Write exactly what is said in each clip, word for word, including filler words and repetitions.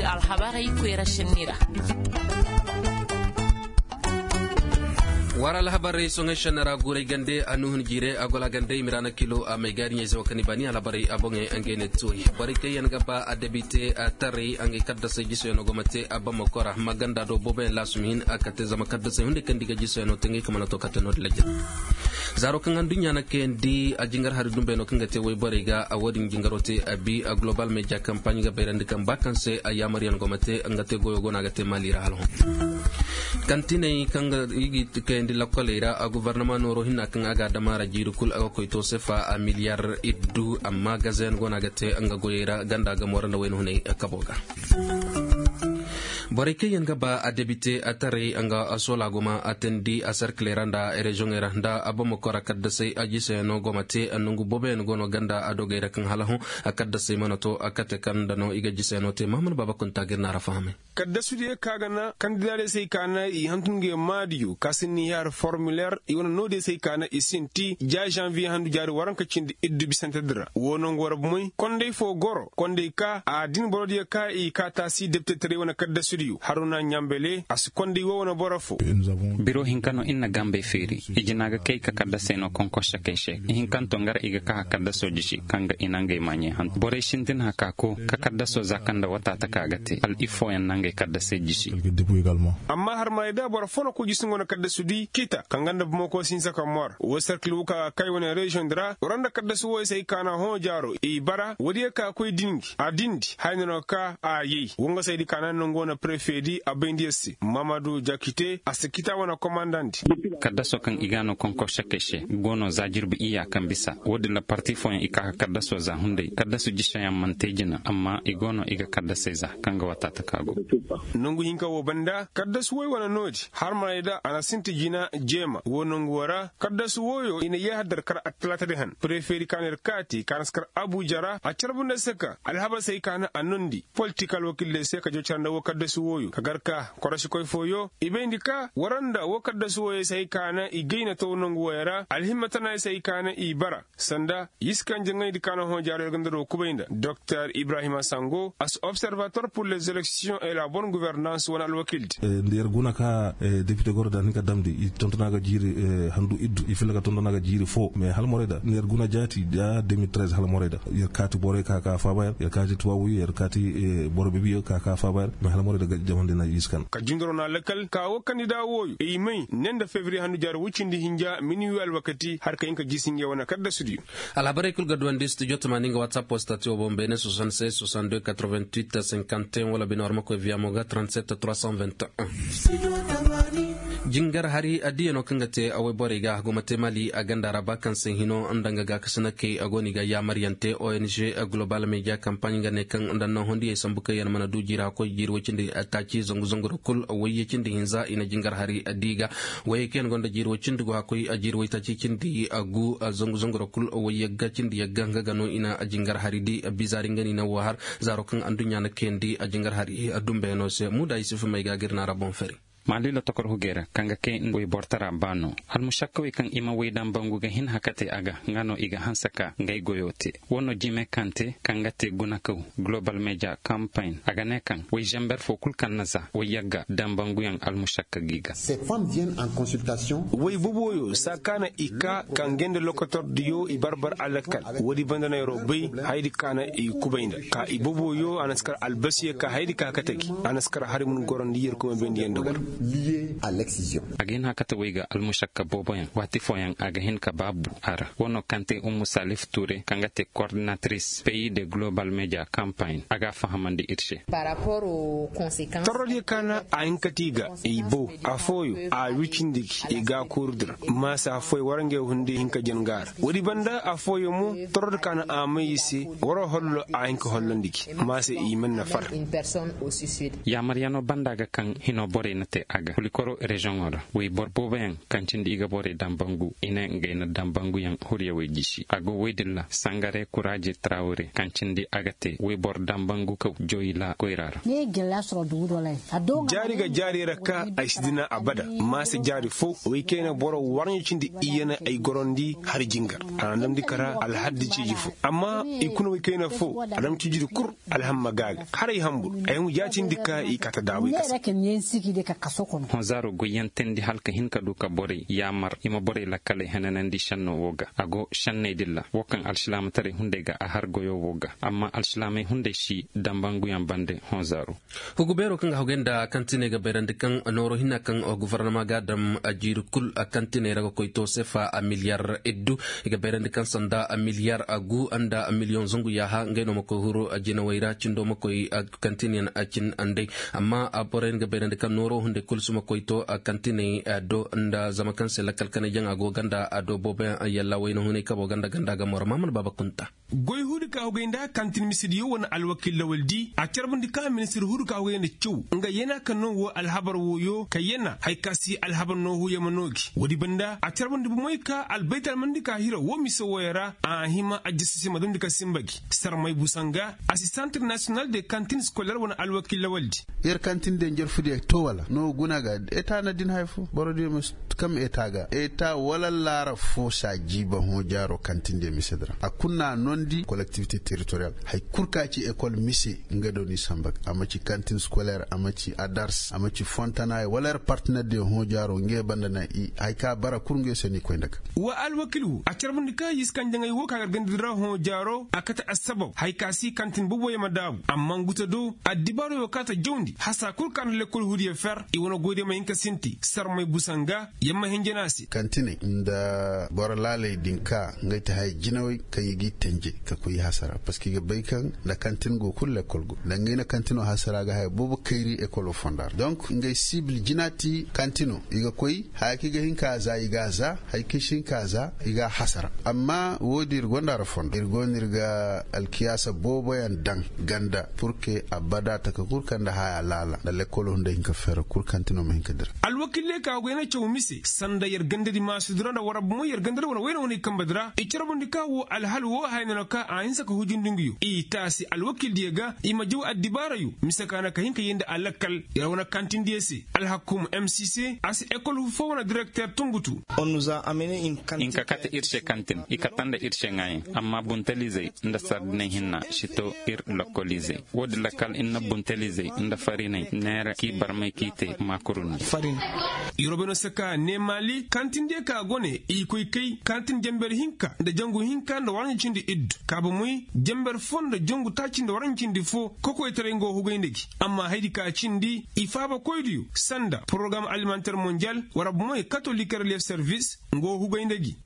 Alhabarey koyra šenni ra. War alhabarey soŋey šenni ra guuray gande a nuhun jiire a gola gande i ma ra na kilo a may gaari ɲayze wo kaŋ i baani alhabarey a boŋey ngey ne tooyi borey kaŋ yaŋ ga ba a debite a tarey ngey kaddasey jisoyaŋ no go ma te a bamako ra ma ganda do booboyaŋ laasum hin a kate zama kaddasey hunday kaŋ nda i ga jisoyaŋ no te ngey kaŋ mana to kate no-din lajjal. Zaaro kaŋ aduɲɲa na kayandi a jingar hari dumbey no kaŋ ga te wayborey ga a wo-din jingaro te a bi a global media kampaaɲ ga bayrandi kaŋ ba kaŋ se a yaamaryaŋ go ma te nga te goyo go no a ga te maali ra hala hõ. Kantiney kaŋ ga i ga kayandi lakkoley ra a gobornama nooro hinna kaŋ a ga a dama ra jiiri kul a ga koy to sefa a miliyar iddu amma gazayaŋ go no a ga te nga goyey ra ganda gamo ra nda wayna hunay kabo ga. Borey kaŋ yaŋ ga ba a debite a taray nga sola guma a teendi a serkiley ra nda reziyoŋey ra nda a bamako ra kaddasey a jiseyaŋo go ma te nongu booboyaŋ go no ganda a dogey ra kaŋ hala hõ a kaddasey mana to a kate kaŋ nda no i ga jiseyaŋo te mahamad baaba kunta ga ir na ra fahamay. Kaddasudiyo ka ga na kandidadiyo se ay ka na i hantum ngey maadiyo ka sinni i har formiler i wane noodiyo se ay ka na i sinti ja zanviye handu jaari waranka cindi iddu bisantedi ra wo nongu war bomey konday fo goro konday ka a din borodiyo ka i ka taasi deptetaray wane kaddasudiyo haruna ɲambele a si konday wo wane boro fo. Biro hinka no ir na gambey feeri i jina ga kay ka kaddasey no konkorsakey se i hinkanto nga ra i ga ka ka kaddaso jisi kaŋ ga i na ngey maaɲey hantu borey sintin haka ko ka kaddaso za kaŋ nda wataata ka ga te hal iffooyaŋ na ngey kaddasey jisi. Amma harmarey da boro fo no koy jisi nga wane kaddasudi kita kaŋ ga nda bamako sinsa ka mor wo serkil wo ka ga kay wane reziyoŋ di ra war nda kaddasu woy se ay ka na hõ jaaro i bara woodiyo ka koy dingi a dindi haya no ka a yay wangasaydi ka na nangu wane prefe di a bayndi yer se mamadu jakite a si kita wane komandandi. Kaddaso kaŋ i ga no konkorsakey se go no za jirbi iyya kaŋ bisa wo-din ra parti fooyaŋ i ka ka kaddaso za hunday kaddasu jiseyaŋ mana te jina amma i go no i ga kaddasey za kaŋ ga wataata ka go. Nangu hinka wo banda kaddasu woy wane noodi harmarey da a na sinti jina jeema wo nangu wo ra kaddasu woyo i na yeehar dar kar attalaatadi han prefeedi ka na ir kaati ka na si kar abuja ra a carbu nda se ka alhabasey ka na a nondi politik alwakilley se ka jocara nda wo kaddasu woyo ka gar ka korosikoy fooyo i bayndi ka war nda wo kaddasu woyo se ay ka na i gayna taw nangu woyo ra alhimma tana se ay ka na i bara sanda yiskan jaŋayndi ka na hõ jaaro ir ga nda do kubay nda doktor ibrahima sango a si observator pur les élections et la bonne gouvernance wane alwakildi. Nda yer guna ka depite goro da a hin ka damndi i tontona ga jiiri handu iddu i filla ga tontona ga jiiri fo mais hala morey da nda yer guna jaati da deux mille treize hala morey da yer kaati borey ka ka faaba yer yer kaati tuwaabuyo yer kaati boro bebiyo ka ka faaba yer mais hala morey da jamandi na yiskan. Ka jundoro na lakal ka wo kandida wooyo i may ne nda fevriye handu jaari woy cindi hinja mini wi alwakati har ka hin ka jiisi ngey wane kaddasudiyo. Alhabarey kul ga duwandi studio tamaani nga whatsapp woo stati woo boŋ beene soixante-seize soixante-deux quatre-vingt-huit cinquante et un wala bine war ma koy via mo ga trente-sept trois cent vingt et un. Jingar hari addiyanoo kaŋ ga te a woy borey ga a go ma te mali a ganda ra ba kaŋ se hino nda nga gaakasinakey a go no i ga yaamaryaŋ te ong global media kampaaɲ nga ne kaŋ nda nahondiyey sambu kaŋ yaŋ mana du jiiri hakkoy jiiri woy cindi taaci zangu zangu ra kul woy ya cindi hinza i na jingar hari addi ga. Wayey kaŋ yaŋ gonda jiiri woy cindi go hakkoy jiiri woy taaci cindi gu zangu zangu ra kul woy yagga cindi yagga nga ga no i na jingar hari di bizaari nga no i na wo har zaaro kaŋ adduɲɲa na kayandi jingar hari dumbeyanoo se muuda yusuf may ga ga ir na ra boŋ fari. Maali lotokor hugey ra kaŋ ga kay nda woy bortara baano almušakkawey kaŋ i ma woy dambangu ga hin hakatey a ga nga no i ga hanse ka ngay goyoo te. Woo no jime kaŋ te kaŋ ga te gunakaw global media kampaaɲ a ga ne kaŋ woy zamber foo kul kaŋ na za woy yagga dambanguyaŋ almušakka gi ga. Woy boboyo saa ka na i ka ka ngey nda lokotordiyo i barbar alakal woodi banda no yeroo bay hayadi ka na i kubay nda ka i boboyo a na si kar albasiyo ka hayadi ka hakate gi a na si kar hari mun gorondi yerkoy ma bayndi yaŋ nda war. A ga hin hakate woy ga almušakka booboyaŋ waati fooyaŋ a ga hin ka baabu a ra woo no kaŋ te ummu salif tuure kaŋ ga te kordinatris peyi de global media kampaaɲ a ga a fahamandi ir se. Torrodiyo ka na a hin ka ti ga i bow afooyo a wicindi gi i ga a koorudi ra maasa afooyo war ngey hunday hin ka jan ga a ra woodi banda afooyo mo torrodi ka na a may i se waroo hollo a hin ka hollondi gi maasa i man na far. Yaamaryanoo banda ga kaŋ hinoo borey na A ga kulikoro reziyoŋo ra woy boro booboyaŋ kaŋ cindi i ga borey dambangu i ne ngey na dambanguyaŋ huryawey gisi a go woy din ra sangare kuraaje trawre kaŋ cindi a ga te woy boro dambangu kaw joyila koyra ra. Jaari ga jaari ra ka ay si dina abada. Maase jaari fo woy kayna boro warɲo cindi iyana ay gorondi hari jingar. A na damndi kara alhaddi ciiji fo amma i kuna woy kayna fo a dam ciijidi kul. Alhamma gaaga haray hambur ay hum jaatindi ka i kata daaway kasa. Honzaaro goyyantendi hala ka hin ka du ka borey yaamar i ma borey lakkaley henanandi šenno wo ga a go šenney dilla wo kaŋ alsilaamataray hunday ga a har goyo wo ga amma alsilaamey hunday si dambanguyaŋ bande. Honzaaro. Hugu beeroo kaŋ ga hagay nda kantiney ga bayrandi kaŋ nooro hinna kaŋ gufarnama ga a dam jiiri kul kantiney ra ga koy to sefa miliyar iddu. I ga bayrandi kaŋ sanda miliyar gu nda miliyoŋ zangu yaaha ngey no ma koy huru jinawey ra cindo ma koy kantinyaŋ cin andey. Amma borey nga bayrandi kaŋ nooro hunday kul si ma koy to kantiney do nda zama kaŋ se lakkal kanay jaŋa go ganda do booboyaŋ yalla wayna hunay kabo ganda ganda ga moro maamana baaba kunta. Goy huudi ka hugay nda kantin misediyo wane alwakiil lawaldi a carbundi ka ministir huudi ka hugay nda caw nga yana ka no wo alhabar woyo ka yana haya ka si alhabar no huyama no gi woodi banda a carbundi bomey ka albaytalmandi ka hira wo mise woyo ra a hima ajjasasi ma damndi ka sinba gi sarmay busanga. Asistant national de kantin skoler wane alwakiil lawaldi. Yer kantin de njarfudiya to wala no guna ga eta na din haya fo borodiyo ma kam eta ga eta wala laara fo saajiiba hõ jaaro kantin de mise di ra a kul na a nondi kolektivite teritoriyal. Haya kul ka ci ekol mise nga do ni samba ga a ma ci kantin skoler a ma ci adars a ma ci fontanay wala yer partiner de hõ jaaro nga yer banda na i haya ka bara kul nga yer se ni koy nda ga. Wa alwakil wo a carbundi ka yiskanjaŋey wo ka gargandi di ra hõ jaaro a kate assabab haya ka si kantin boboyaŋ ma daabu amma ngu ta do addibaarey wo ka ta jawndi hasa kul ka nda lekkol hudiyo fer i wane goydiyo ma hin ka sinti sarmey busanga. Yamma hinjana se kantiney nda boro laaley din ka ngey ti haya jinawey kaŋ i g'i tenje ka koy i hasara parceque i ga bay kaŋ nda kantin go kul lekkol go nda ngey na kantino hasara ga haya boobo kayri ekolo fonda ra donc ngey sibil jina ti kantino i ga koy haya kaŋ i ga hin ka za i g'a za haya kaŋ i si hin ka za i g'a hasara. Amma wo- din ir gonda ra fondo ir go no ir ga alkiyaasa booboyaŋ daŋ ganda pur que abada taka kul kaŋ nda haya laala nda lekkolo hunday hin ka feera kul kantino ma hin ka dira. Alwakiiley ka go i na caw mise sanda yer gandadi maasudi ra nda war bomo yer gandadi wane wayne wane i kambe di ra i carbundi ka wo alhal wo haya no na ka a hinsa ka hujindi nguyo i taasi alwakiildiyo ga i ma jaw addibaarayo mise ka na ka hin ka yee nda alakkal yer wane kantindiyo se. Alhakuuma m c c a si ekol foo wane direkter tungutu. Hinka kate ir se kantin i kata nda ir se ŋaayaŋ amma buntalizey nda sardiney hinna si to ir lokoliizey. Woodin lakkal ir na buntalizey nda fariney neera k'i barmay k'i te maakuruni. Yeroo bay no se ka nee maali kantindiyo ka go ne i koy kay kantin jenber hinka nda jangu hinka nda waranci cindi iddu kaabamoy jenber foo nda jangu taaci nda waranci cindi foo kokoytaray nga wo hugay nda gi. Amma hayadi ka cindi i faabakoydiyo sanda porogaraam alimenter monjal wara bomoy katolik relief servis nga wo hugay nda gi.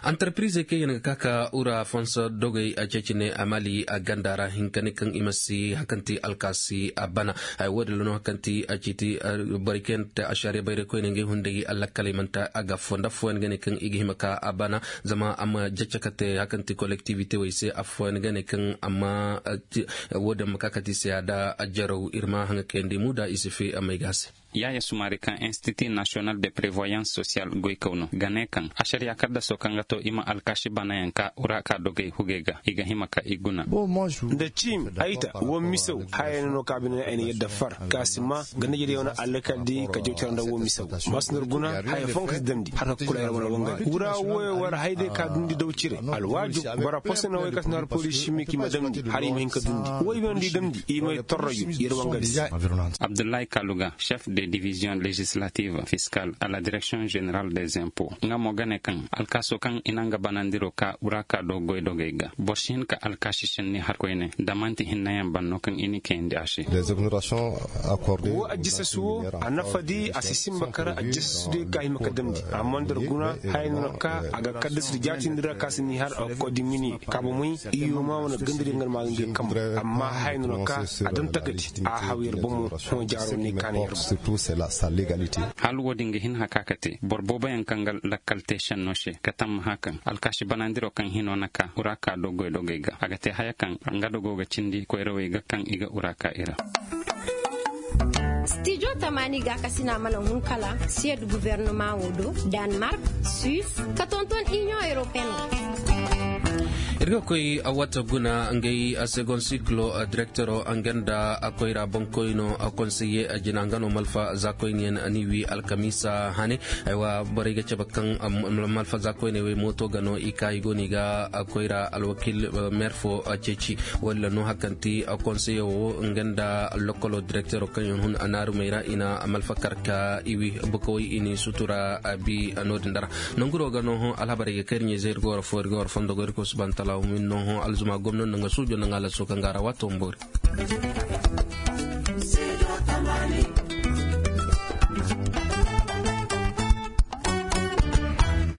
Antarpirizey kaŋ yaŋ ga ka ka ura fonso dogey a ceeci ne a mali a ganda ra hinka ne kaŋ i ma si hakanti alkaasi a bana. Haya woodin ra no hakanti a ciiti borey kaŋ yaŋ ga te ašariya bayray koyne ngey hunday allakkaley manti a ga foo nda affooyaŋ ga ne kaŋ i ga hima ka a bana. Zama a ma jacca ka te hakanti kolektiwite wey se affooyaŋ ga ne kaŋ amma woodin ma ka kate i se a da ajaraw ir ma haŋa kayandi muuda i si fee a may ga a se. Yaaya sumaari kaŋ institut nasiyonal de prevoyans sosiyal goykaw no ga ne kaŋ ašariya kaddasoo kaŋ ga to i ma alkaasi banayaŋ ka ura ka dogey hugey ga i ga hima ka i guna. Nda ciimi ay ta wo misew haya no no kaŋ a bine ay na yadda far ka si ma ga na yadda yaŋ wane alkaldi ka jawtara nda wo misew. Masu nir guna haya foo kaŋ si damndi har ka kula yar wane wangari wura wooyo war hayday ka dundi daw cire alwaaju bora posonawey kaŋ si nir poliisi miki ma damndi har i ma hin ka dundi wo i ma hin di damndi i ma torrayu yar wangari se. Abdullahi kaluga chef de division legislative fiscal a la direction general des impots nga mo ga ne kaŋ alkaasoo kaŋ i na nga banandiroo ka ura ka do goydogey ga boro si hin ka alkaasi senni har koyne da man'ti hinnayaŋ ban no kaŋ i n'i kayandi a se. Wo ajjasasi wo a nafadi a si sinba kar ajjasasi de ka hima ka damndi amma nda ir guna haya no na ka a ga kaddasadi jaatindi ra ka si n'i har a ga koy dimini kaaba moy. Iyo ma wane gandariyaŋ ga na ma ga ngey kambu amma haya no na ka a daŋ takati a haw yer bomo. Hõ jaaro ne kaana yer bomo. Hala woodin ga hin haka ka te boro booboyaŋ kaŋ ga lakkal te senno se ka tammaha kaŋ alkaasi banandiroo kaŋ hinoo na ka ura ka do goydogey ga a ga te haya kaŋ nga dogoo ga cindi koyrawey ga kaŋ i ga ura ka i ra. Stijo tamaani gaakasina mana hun kala siyed guvernomaŋo do, danmark, suis, ka tonton iniyoŋ europeen. Ir ga koy wata guna ngay segon siklo direktero nga nda koyra boŋkoyno konseye jina nga no malfa za koyniyaŋ ni wi alkamiisa hane. Aywa borey ga cabe kaŋ malfa za koyney wey mooto ga no i ka i go no i ga koyra alwakil, meer fo ceeci walla no hakanti konseye wo nga nda lokolo direktero kaŋ yaŋ hun a naarumey ra i na malfa kar ka i wi bukawey i n'i sutura. Bi no-din dara nanguro ga no hõ alhabarey ga kay ir ɲayzey ir ga war fo ir ga war fondo go ir ga war suba nda talaawa min no hõ alzuma gomno nda nga suujo nda nga laso kaŋ ga a ra waato ma boori.